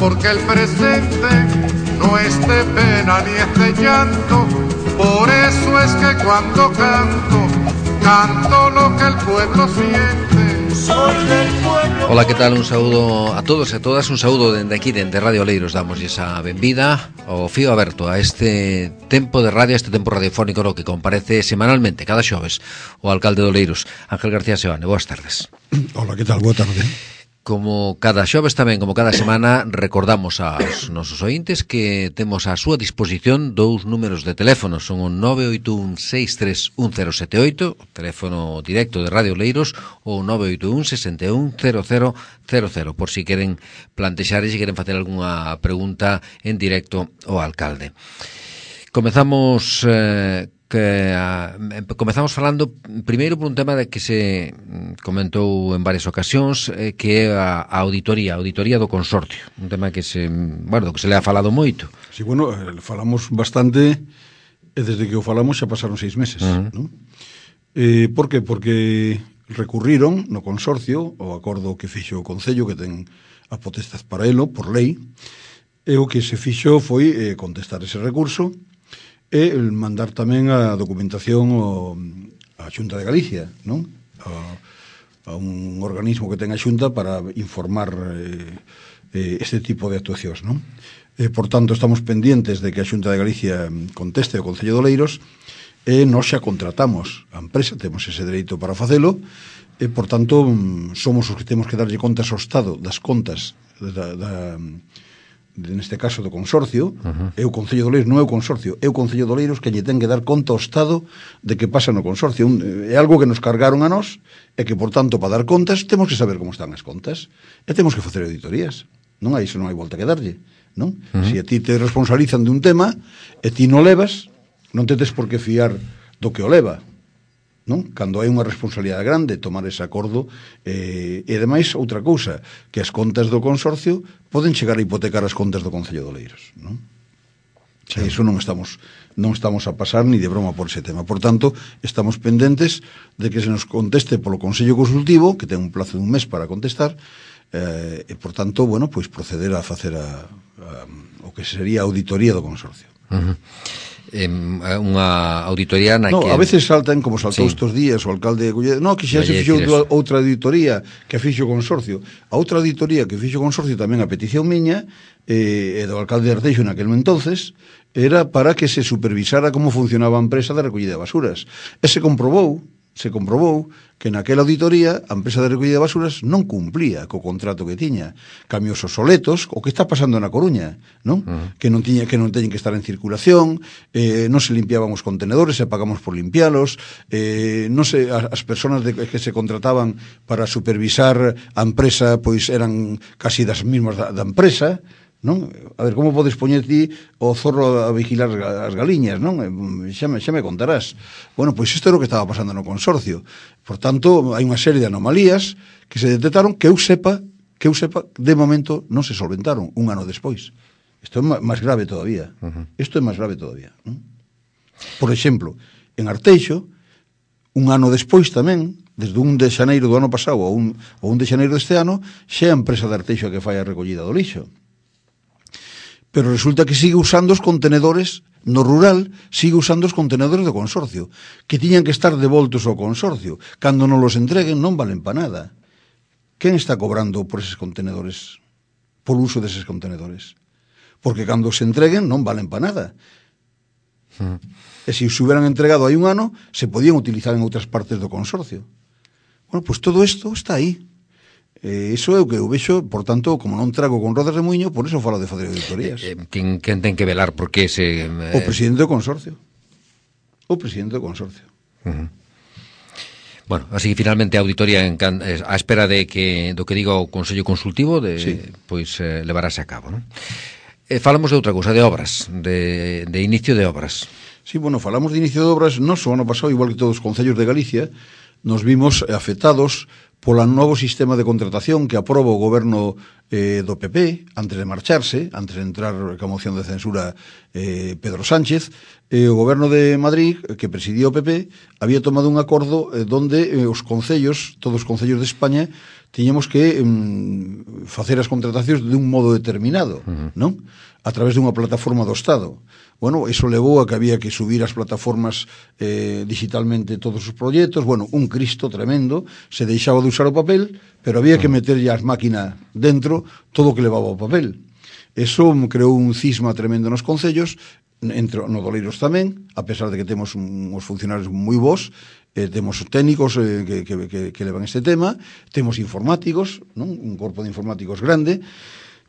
porque el presente no es de pena ni es de llanto. Por eso es que cuando canto, canto lo que el pueblo siente. Soy del pueblo. Ola, que tal? Un saúdo a todos e a todas. Un saúdo dende aquí, dende Radio Oleiros. Damos esa benvida ao fío aberto a este tempo de radio, a este tempo radiofónico no que comparece semanalmente, cada xoves, o alcalde de Oleiros, Ángel García Seoane. Boas tardes. Hola, que tal? Boa tarde. Como cada xoves tamén, como cada semana, recordamos aos nosos ointes que temos a súa disposición dous números de teléfono. Son o 981-631078, o teléfono directo de Radio Oleiros, ou 981-610000, por si queren plantexar e se queren facer algunha pregunta en directo ao alcalde. Comezamos falando primeiro por un tema de que se comentou en varias ocasións, que é a auditoría do consorcio, un tema que se le ha falado moito. Sí, bueno, falamos bastante e desde que o falamos xa pasaron 6 meses, ¿no? Por que? Porque recurriron no consorcio o acordo que fixo o Concello, que ten a potestad para elo, por lei, e o que se fixo foi contestar ese recurso e mandar tamén a documentación á Xunta de Galicia, non? A un organismo que ten a Xunta para informar este tipo de actuacións, non? Por tanto, estamos pendientes de que a Xunta de Galicia conteste ao Concello de Oleiros e nós xa contratamos a empresa, temos ese dereito para facelo e, por tanto, somos os que temos que darlle contas ao Estado das contas neste caso do consorcio. É o Concello de Oleiros, non é o consorcio, é o Concello de Oleiros que lle ten que dar conta ao Estado de que pasa no consorcio. É algo que nos cargaron a nós e que, por tanto, para dar contas temos que saber como están as contas e temos que facer auditorías. Non hai iso, non hai volta que darlle, non? Se a ti te responsabilizan de un tema e ti non levas, non te tes por que fiar do que o leva, non? Cando hai unha responsabilidade grande tomar ese acordo, e ademais outra cousa, que as contas do consorcio poden chegar a hipotecar as contas do Concello de Oleiros, non? Sí. Iso non estamos a pasar ni de broma por ese tema. Por tanto, estamos pendentes de que se nos conteste polo Consello Consultivo, que ten un plazo de un mes para contestar, e por tanto, bueno, pois proceder a facer o que sería a auditoría do consorcio. Unha auditoría na que... a veces saltan, como saltou estes días o alcalde de Colleda, que xa se fixou outra auditoría que fixo o consorcio. A outra auditoría que fixo o consorcio tamén a petición miña e do alcalde de Arteixo naquel entonces era para que se supervisara como funcionaba a empresa de recollida de basuras. E se comprobou que naquela auditoría a empresa de recollida de basuras non cumplía co contrato que tiña. Camións obsoletos, o que está pasando na Coruña, non? Que non teñen que estar en circulación, non se limpiaban os contenedores, se pagamos por limpialos, non se, as persoas que se contrataban para supervisar a empresa pois eran casi das mismas da empresa, non? A ver, como podes poñer ti o zorro a vigilar as galiñas, non? Xa me contarás. Bueno, pois isto é o que estaba pasando no consorcio. Por tanto, hai unha serie de anomalías que se detectaron que eu sepa, de momento non se solventaron un ano despois. Isto é máis grave todavía. Non? Por exemplo, en Arteixo, un ano despois tamén, desde 1 de xaneiro do ano pasado ao 1 de xaneiro deste ano, xa é a empresa de Arteixo que fai a recollida do lixo. Pero resulta que sigue usando os contenedores, no rural, sigue usando os contenedores do consorcio, que tiñan que estar devoltos ao consorcio. Cando non los entreguen non valen para nada. Quen está cobrando por eses contenedores, por uso deses contenedores? Porque cando se entreguen non valen para nada. E se os hubieran entregado hai un ano, se podían utilizar en outras partes do consorcio. Bueno, pois todo isto está aí. Iso é o que eu vexo, por tanto, como non trago con rodas de muiño, por eso falo de facer auditorías. Quen ten que velar porque ese... O presidente do consorcio. Bueno, así que finalmente a auditoría a espera de do que diga o Consello Consultivo pois levarase a cabo, non? Falamos de outra cousa, de obras, de inicio de obras. Sí, bueno, falamos de inicio de obras, non só ano pasado, igual que todos os concellos de Galicia, nos vimos afectados pola novo sistema de contratación que aproba o goberno do PP antes de marcharse, antes de entrar ca moción de censura Pedro Sánchez, o goberno de Madrid, que presidía o PP, había tomado un acordo donde os concellos, todos os concellos de España, tiñamos que facer as contratacións de un modo determinado, non? A través dunha plataforma do Estado. Bueno, eso levou a que había que subir as plataformas digitalmente todos os proxectos, bueno, un cristo tremendo, se deixaba de usar o papel, pero había que meterlle as máquinas dentro todo o que levaba o papel. Eso creou un cisma tremendo nos concellos, no Doleiros tamén, a pesar de que temos uns funcionarios moi bons, temos técnicos que levan este tema, temos informáticos, non? Un corpo de informáticos grande,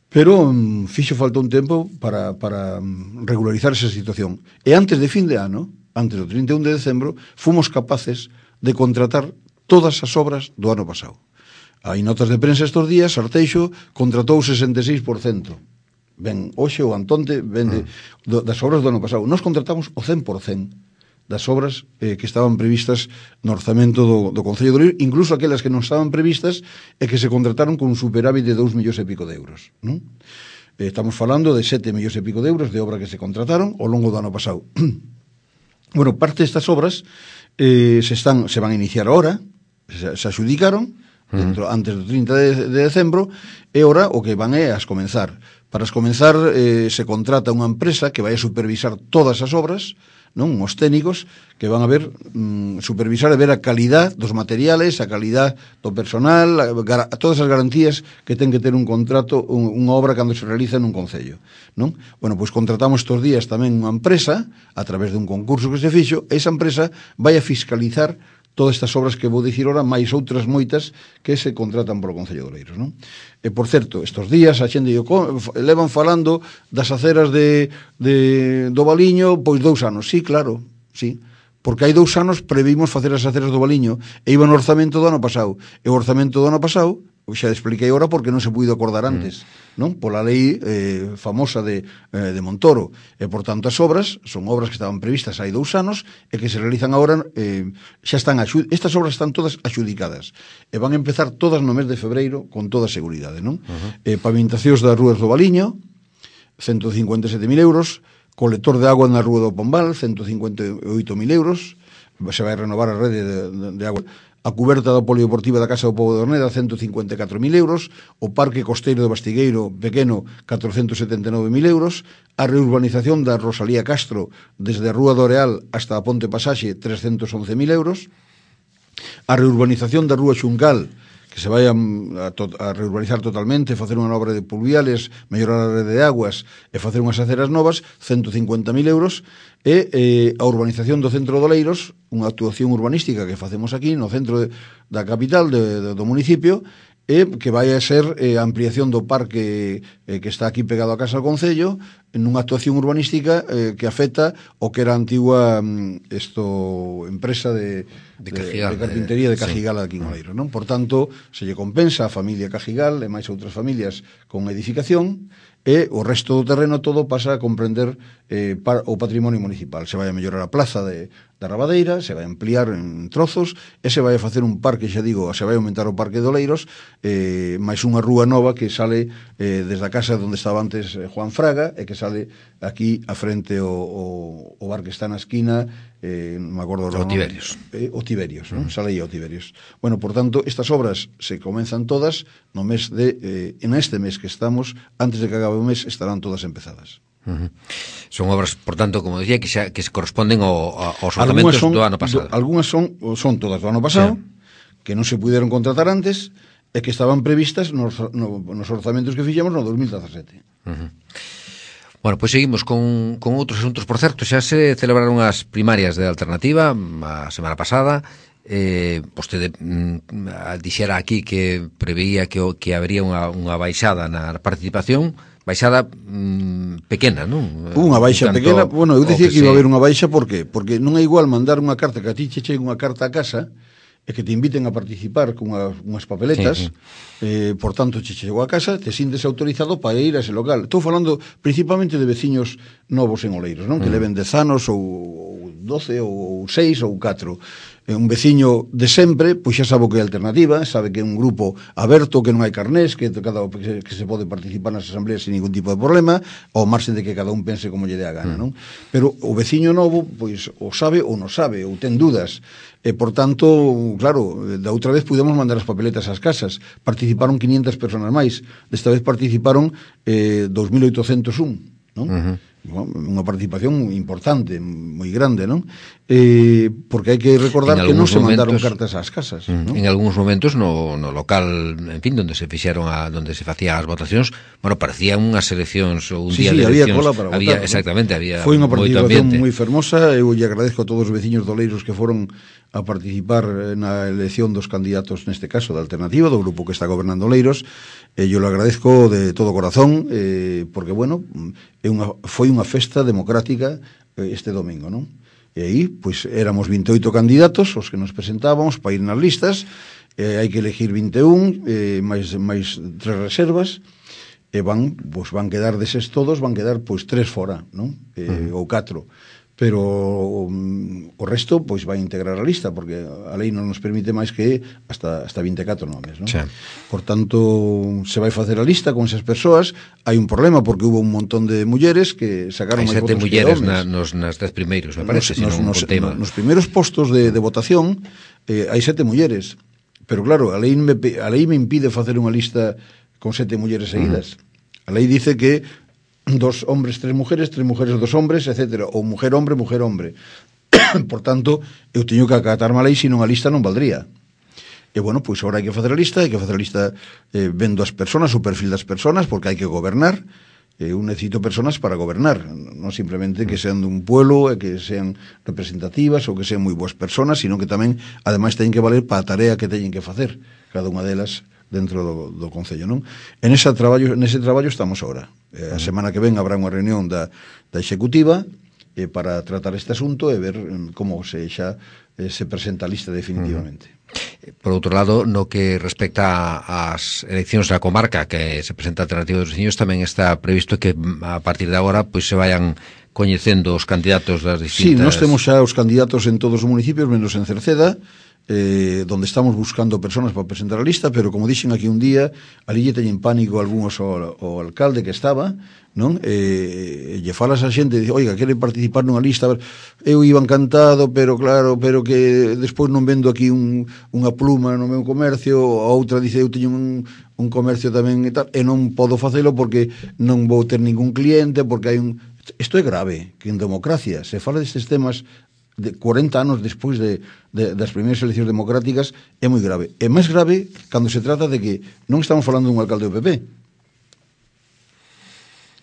pero fixo falta un tempo para regularizar esa situación. E antes de fin de ano, antes do 31 de decembro, fomos capaces de contratar todas as obras do ano pasado. Hai notas de prensa estes días, Arteixo contratou 66%. Ben, hoxe o Antonte vende das obras do ano pasado. Nos contratamos o 100% das obras que estaban previstas no orzamento do Concello de Oleiros, incluso aquelas que non estaban previstas e que se contrataron con un superávit de 2 millóns e pico de euros, non? Estamos falando de 7 millóns e pico de euros de obra que se contrataron ao longo do ano pasado. Bueno, parte destas obras se van a iniciar ahora, se axudicaron antes do 30 de decembro, e ahora o que van é as comenzar. Para as comenzar se contrata unha empresa que vai a supervisar todas as obras, non? Os técnicos que van a ver supervisar e ver a calidad dos materiales, a calidad do personal, todas as garantías que ten que ter un contrato, unha obra cando se realiza nun concello, non? Bueno, pois contratamos estes días tamén unha empresa a través de un concurso que se fixo, e esa empresa vai a fiscalizar todas estas obras que vou dicir ora, máis outras moitas que se contratan polo Concello de Oleiros, non? E, por certo, estes días a xente levan falando das aceras do Valiño, pois 2 anos. Sí, claro, sí. Porque hai 2 anos previmos facer as aceras do Valiño e iba no orzamento do ano pasado. E o orzamento do ano pasado, xa expliquei agora porque non se puido acordar antes, non? Pola lei famosa de Montoro. E, por tanto, as obras son obras que estaban previstas hai 2 anos e que se realizan agora, xa están estas obras están todas axudicadas e van a empezar todas no mes de febreiro con toda seguridade, non? Pavimentacións das rúas do Valiño, 157.000 euros, colector de agua na Rúa do Pombal, 158.000 euros, se vai renovar a rede de agua. A cuberta da polideportiva da Casa do Pobo de Orneda, 154.000 euros, o Parque Costeiro do Bastigueiro Pequeno, 479.000 euros, a reurbanización da Rosalía Castro desde a Rúa do Areal hasta a Ponte Pasaxe, 311.000 euros, a reurbanización da Rúa Xuncal, que se vai a reurbanizar totalmente, facer unha obra de pluviales, mellorar a rede de aguas e facer unhas aceras novas, 150.000 euros, e a urbanización do centro de Oleiros, unha actuación urbanística que facemos aquí no centro da capital do municipio, e que vai a ser a ampliación do parque que está aquí pegado a Casa do Concello, nunha actuación urbanística que afecta o que era a antigua empresa de carpintería de Cajigal aquí en Oleiros, non? Por tanto, se lle compensa a familia Cajigal e máis outras familias con edificación, e o resto do terreno todo pasa a comprender o patrimonio municipal. Se vai a mellorar a plaza da Rabadeira, se vai a ampliar en trozos, e se vai a facer un parque, xa digo, se vai a aumentar o parque de Oleiros, máis unha rúa nova que sale desde a casa onde estaba antes Juan Fraga, e que sale aquí a frente o bar que está na esquina, non me acordo o Tiberios. O Tiberios, non? Sale aí o Tiberios. Bueno, por tanto, estas obras se comenzan todas no mes en este mes que estamos, antes de que acabe o mes estarán todas empezadas. Son obras, por tanto, como decía, que se corresponden aos orzamentos do ano pasado. Algúnas son todas do ano pasado, que non se puderon contratar antes e que estaban previstas nos orzamentos que fixemos no 2017. Bueno, pois seguimos con outros asuntos. Por certo, xa se celebraron as primarias de Alternativa a semana pasada. Vostede dixera aquí que preveía que habería unha baixada na participación, baixada pequena, non? Unha baixa pequena, bueno, eu dicía que iba a haber unha baixa, por qué? Porque non é igual mandar unha carta, que a ti che chegue unha carta a casa e que te inviten a participar con unhas papeletas, por tanto, che chegou a casa, te sintes autorizado para ir a ese local. Estou falando principalmente de veciños novos en Oleiros, non? Que leven 10 anos ou 12 ou 6 ou 4. un veciño de sempre, pois xa sabe o que é alternativa, sabe que é un grupo aberto, que non hai carnés, que se pode participar nas asambleas sin ningún tipo de problema, ao marxen de que cada un pense como lle dé a gana, non? Pero o veciño novo, pois, o sabe ou non sabe, ou ten dúdas, e, por tanto, claro, da outra vez pudemos mandar as papeletas ás casas, participaron 500 personas máis, desta vez participaron 2.801, non? Unha participación importante, moi grande, non? Porque hai que recordar que non se mandaron cartas ás casas, non? En algúns momentos no local, en fin, onde se fixeron onde se facían as votacións, bueno, parecían unhas eleccións ou un día de eleccións. Había cola para votar. Exactamente, había foi unha participación moi fermosa. Eu lle agradezco a todos os veciños doleiros que foron a participar na elección dos candidatos, neste caso da alternativa, do grupo que está gobernando Oleiros. Yo lo agradezco de todo corazón, porque, bueno, foi unha festa democrática este domingo, non? E aí, pois, éramos 28 candidatos os que nos presentábamos para ir nas listas, hai que elegir 21, máis 3 reservas, e van quedar deses todos, van quedar, pois, 3 fora, non? Ou 4. Pero o resto pois vai integrar a lista, porque a lei non nos permite máis que hasta 24 nomes, non? Sí. Por tanto, se vai facer a lista con esas persoas. Hai un problema porque hubo un montón de mulleres que sacaron máis votos que homes. Hai 7 mulleres nas 10 primeiros, me parece, nos primeiros postos de votación hai 7 mulleres, pero claro, a lei me impide facer unha lista con 7 mulleres seguidas. A lei dice que 2 hombres, 3 mujeres, 2 hombres, etcétera, ou mujer-hombre. Por tanto, eu teño que acatarme a lei, senón a lista non valdría. E, bueno, pois agora hai que facer a lista, vendo as persoas, o perfil das persoas, porque hai que gobernar. Eu necesito persoas para gobernar, non simplemente que sean dun pueblo, que sean representativas ou que sean moi boas persoas, sino que tamén, ademais, teñen que valer para a tarea que teñen que facer, cada unha delas dentro do Concello, non? Nese traballo estamos agora. A semana que ven habrá unha reunión da Executiva para tratar este asunto e ver como se presenta a lista definitivamente. Por outro lado, no que respecta ás eleccións da comarca que se presenta a Alternativa dos Veciños, tamén está previsto que a partir de agora pois se vayan coñecendo os candidatos das distintas... Sí, nós temos xa os candidatos en todos os municipios, menos en Cerceda, donde estamos buscando personas para presentar a lista, pero como dixen aquí un día, ali lle teñen pánico algúns ao alcalde que estaba, non? Lle falas a xente e dice, oiga, quere participar nunha lista, eu iba encantado, pero claro, pero que despois non vendo aquí unha pluma no meu comercio, a outra dice, eu teño un comercio tamén e tal, e non podo facelo porque non vou ter ningún cliente, porque hai un... Isto é grave, que en democracia se fala destes temas de 40 anos despois das primeiras eleccións democráticas, é moi grave. É máis grave cando se trata de que non estamos falando dun alcalde do PP,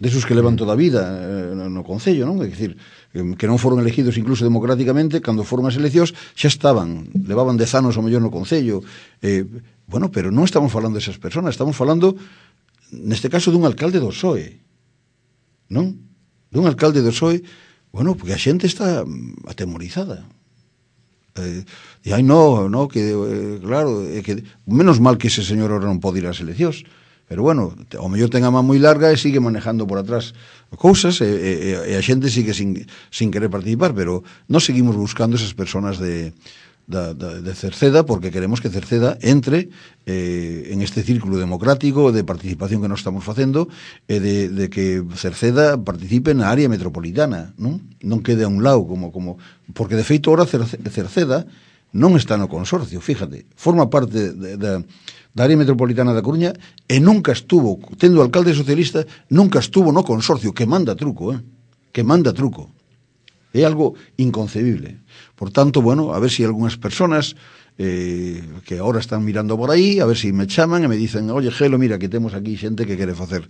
desos que levan toda a vida no Concello, non? É dicir, que non foron elegidos incluso democráticamente, cando foron as eleccións xa levaban 10 anos ao mellor no Concello. Bueno, pero non estamos falando desas persoas, estamos falando, neste caso, dun alcalde do PSOE, non? Dun alcalde do PSOE. Bueno, porque a xente está atemorizada. Claro, que menos mal que ese señor ahora non pode ir ás eleccións, pero bueno, ao mellor ten a man moi larga e sigue manejando por atrás cousas e a xente sigue sin querer participar, pero nós seguimos buscando esas persoas de Cerceda, porque queremos que Cerceda entre en este círculo democrático de participación que nós estamos facendo, e de que Cerceda participe na área metropolitana, non quede a un lado, porque de feito ahora Cerceda non está no consorcio, fíjate, forma parte da área metropolitana da Coruña e nunca estuvo, tendo alcalde socialista, nunca estuvo no consorcio, que manda truco. É algo inconcebible. Por tanto, bueno, a ver si algunhas personas que ahora están mirando por aí, a ver si me chaman e me dicen, oye, Gelo, mira, que temos aquí xente que quere facer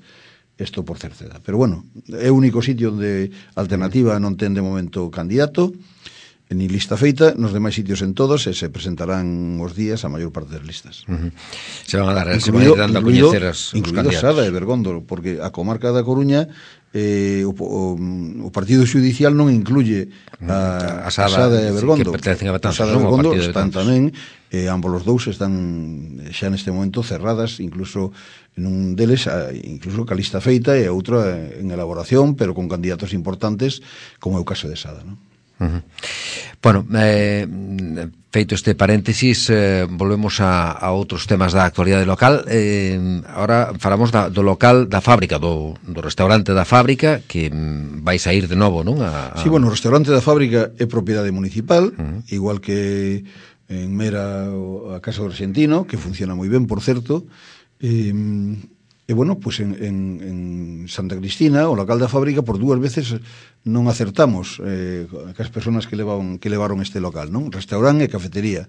isto por Cerceda. Pero bueno, é o único sitio onde Alternativa non ten de momento candidato, ni lista feita, nos demais sitios en todos, e se presentarán os días a maior parte das listas. Se van a dar, se van a ir dando a coñecer os candidatos. Sada e Bergondo, porque a comarca da Coruña o partido judicial non incluye a Sada e Bergondo. Que pertencen a Betanzos, Sada e Bergondo están tamén, ambos os dous están xa neste momento cerradas, incluso en un deles, incluso ca lista feita e outra en elaboración, pero con candidatos importantes, como é o caso de Sada, non? Bueno, feito este paréntesis, volvemos a outros temas da actualidade local. Ahora falamos do local da fábrica, do restaurante da fábrica, que vai sair de novo, non? Sí, bueno, o restaurante da fábrica é propiedade municipal, igual que en Mera a Casa do Argentino, que funciona moi ben, por certo. E bueno, pues en Santa Cristina, o local da fábrica, por 2 veces non acertamos as persoas que levaron este local, non? Restaurante e cafetería.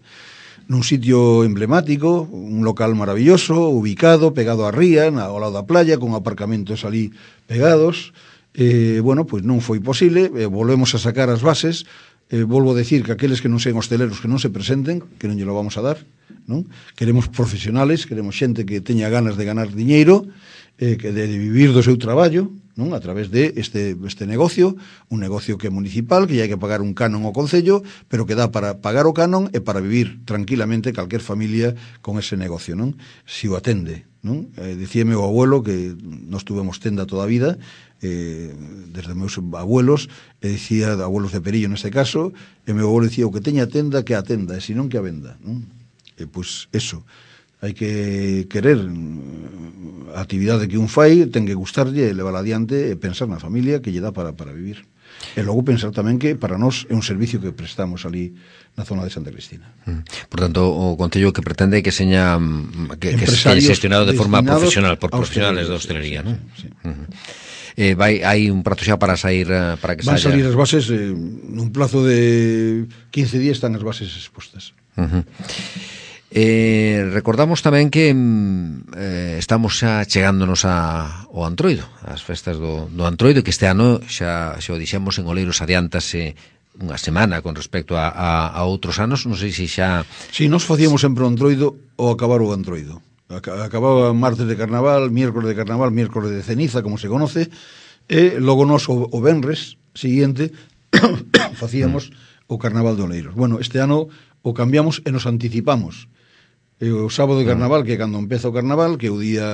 Nun sitio emblemático, un local maravilloso, ubicado, pegado á ría, ao lado da playa, con aparcamentos ali pegados. Bueno, pues non foi posible, volvemos a sacar as bases. Volvo a decir que aqueles que non sean hosteleros que non se presenten, que non lle lo vamos a dar, non? Queremos profesionales, queremos xente que teña ganas de ganar diñeiro, que de vivir do seu traballo, non? A través de este negocio, un negocio que é municipal, que hai que pagar un canon ao concello, pero que dá para pagar o canon e para vivir tranquilamente calquer familia con ese negocio, non? Si o atende, non? Dicíame o abuelo que nós tuvemos tenda toda a vida, desde meus abuelos, dicía, abuelos de Perillo neste caso, e meu abuelo dicía, o que teña tenda que a tenda, e senón que a venda, non? Pois eso, hai que querer a actividade que un fai, ten que gustarlle, levar adiante e pensar na familia que lle dá para vivir. E logo pensar tamén que para nós é un servicio que prestamos ali na zona de Santa Cristina. Por tanto, o Concello que pretende que seña que seña gestionado de forma profesional por profesionales da hostelería, non? Sí. Hai un prazo xa para sair para que van salir as bases nun plazo de 15 días están as bases expostas. Recordamos tamén que estamos xa chegándonos ao Antroido, as festas do Antroido, que este ano xa o dixemos en Oleiros adiántase unha semana con respecto a outros anos. Non sei se xa... Si, nos facíamos sempre o Antroido ou acabar o Antroido. Acababa martes de carnaval, miércoles de carnaval, miércoles de ceniza, como se conoce, e logo nos o venres siguiente facíamos o carnaval de Oleiros. Bueno, este ano o cambiamos e nos anticipamos. O sábado de carnaval, que é cando empeza o carnaval, que é o día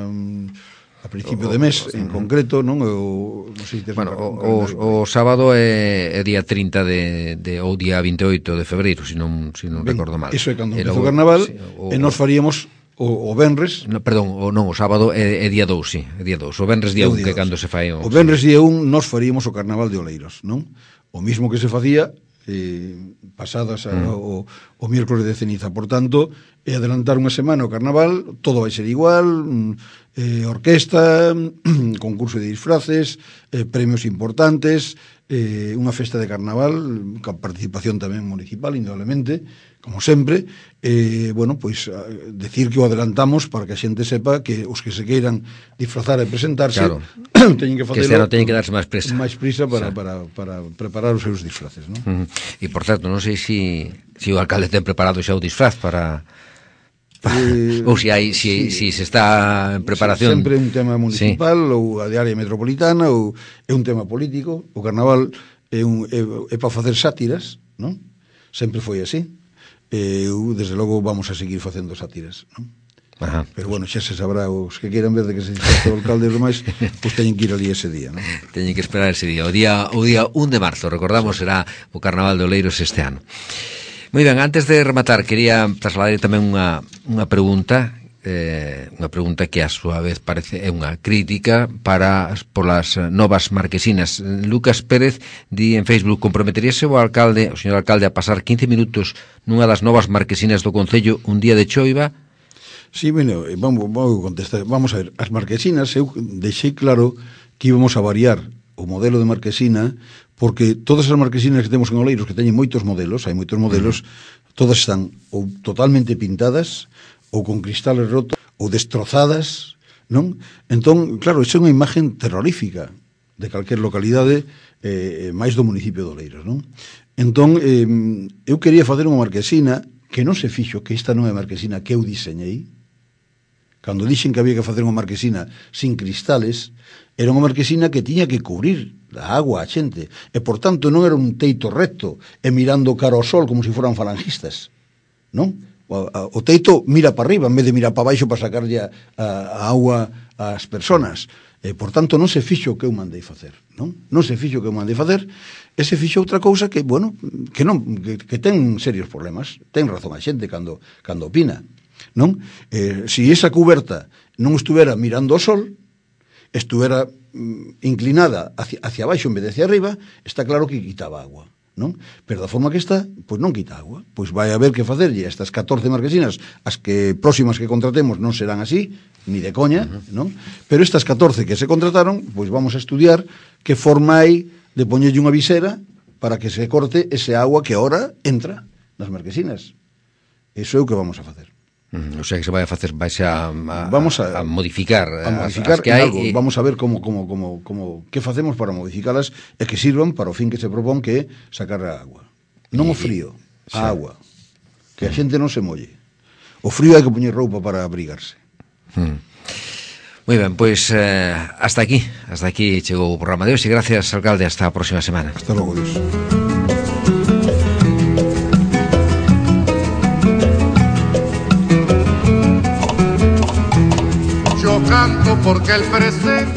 a principio de mes, en concreto, non? Non sei se bueno, o sábado é día 30 ou día 28 de febreiro, se non recordo mal. Iso é cando empeza o carnaval, e nos faríamos o venres... No, perdón, o sábado é día 2, sí, é día 2. O venres día 1, que é cando se fai... O venres día 1 nos faríamos o carnaval de Oleiros, non? O mismo que se facía pasadas o miércoles de ceniza. Por tanto, é adelantar unha semana o carnaval, todo vai ser igual, orquesta, concurso de disfraces, premios importantes, unha festa de carnaval, con participación tamén municipal, indudablemente, como sempre. Bueno, pois, decir que o adelantamos para que a xente sepa que os que se queiran disfrazar e presentarse, claro, teñen que facelo, que este ano teñen que darse máis prisa para preparar os seus disfraces, non? E, por certo, non sei se o alcalde ten preparado xa o disfraz para... ou se se está en preparación. Sempre un tema municipal, sí, ou a de área metropolitana, ou é un tema político. O carnaval é para facer sátiras, non? Sempre foi así. Eu, desde logo, vamos a seguir facendo sátiras, non? Ajá. Pero bueno, xa se sabrá, os que queiran ver de que se disfraza o alcalde e os demais, pois teñen que ir ali ese día, non? Teñen que esperar ese día. O día 1 de marzo, recordamos, será o Carnaval de Oleiros este ano. Moi ben, antes de rematar, quería trasladar tamén unha pregunta, que a súa vez parece é unha crítica polas novas marquesinas. Lucas Pérez di en Facebook: comprometeríase o señor alcalde a pasar 15 minutos nunha das novas marquesinas do Concello un día de choiva? Sí, bueno, vamos contestar. Vamos a ver, as marquesinas, eu deixei claro que íbamos a variar o modelo de marquesina, porque todas as marquesinas que temos en Oleiros, que teñen moitos modelos, todas están ou totalmente pintadas, ou con cristales rotos, ou destrozadas, non? Entón, claro, iso é unha imagen terrorífica de calquer localidade, máis do municipio de Oleiros, non? Entón, eu quería facer unha marquesina que non se fixo, que esta non é a marquesina que eu diseñei. Cando dixen que había que facer unha marquesina sin cristales, era unha marquesina que tiña que cubrir da agua a xente, e por tanto non era un teito recto e mirando cara ao sol como se foran falangistas, non? O teito mira para arriba en vez de mirar para baixo para sacarlle a auga ás persoas. Por tanto, non se fixo o que eu mandei facer, non? Non se fixo o que eu mandei facer, e se fixo outra cousa que, bueno, que ten serios problemas. Ten razón a xente cando opina, non? Se esa cuberta non estuvera mirando o sol, estuvera inclinada hacia baixo en vez de hacia arriba, está claro que quitaba agua, non? Pero da forma que está, pois non quita agua. Pois vai haber que facerlle estas 14 marquesinas, as que próximas que contratemos non serán así, ni de coña, non? Pero estas 14 que se contrataron, pois vamos a estudiar que forma hai de poñerlle unha visera para que se corte ese agua que ahora entra nas marquesinas. Eso é o que vamos a facer. O sea que se vai a facer, vais a modificar as que hai, algo. Vamos a ver como que facemos para modificalas e que sirvan para o fin que se propón, que é sacar a agua. Non o frío, a agua. Que a xente non se molle. O frío hai que poñer roupa para abrigarse. Moi ben, pois hasta aquí chegou o programa de hoxe. Gracias, alcalde, hasta a próxima semana. Hasta logo, Dios. Yo canto porque el presente